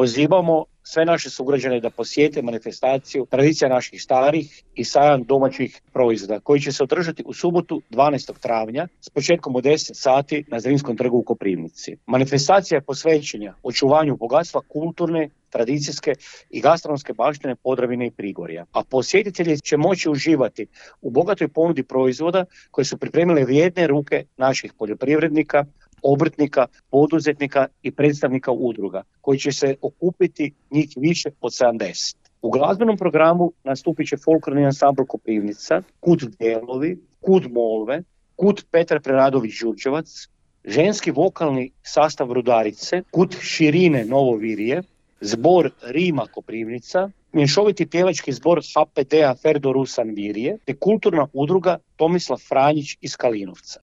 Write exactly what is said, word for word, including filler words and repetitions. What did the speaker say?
Pozivamo sve naše sugrađane da posjete manifestaciju Tradicija naših starih i sajam domaćih proizvoda koji će se održati u subotu dvanaestog travnja s početkom u deset sati na Zrinskom trgu u Koprivnici. Manifestacija je posvećena očuvanju bogatstva kulturne, tradicijske i gastronomske baštine Podravine i Prigorja. A posjetitelji će moći uživati u bogatoj ponudi proizvoda koje su pripremile vrijedne ruke naših poljoprivrednika, obrtnika, poduzetnika i predstavnika udruga, koji će se okupiti njih više od sedamdeset. U glazbenom programu nastupit će folklorni ansambl Koprivnica, Kud Dijelovi, Kud Molve, Kud Petar Preradović Đurđevac, ženski vokalni sastav Rudarice, Kud Širine Novo Virje, zbor Rima Koprivnica, mješoviti pjevački zbor ha pe de a Ferdo Rusan Virje, te kulturna udruga Tomislav Franjić iz Kalinovca.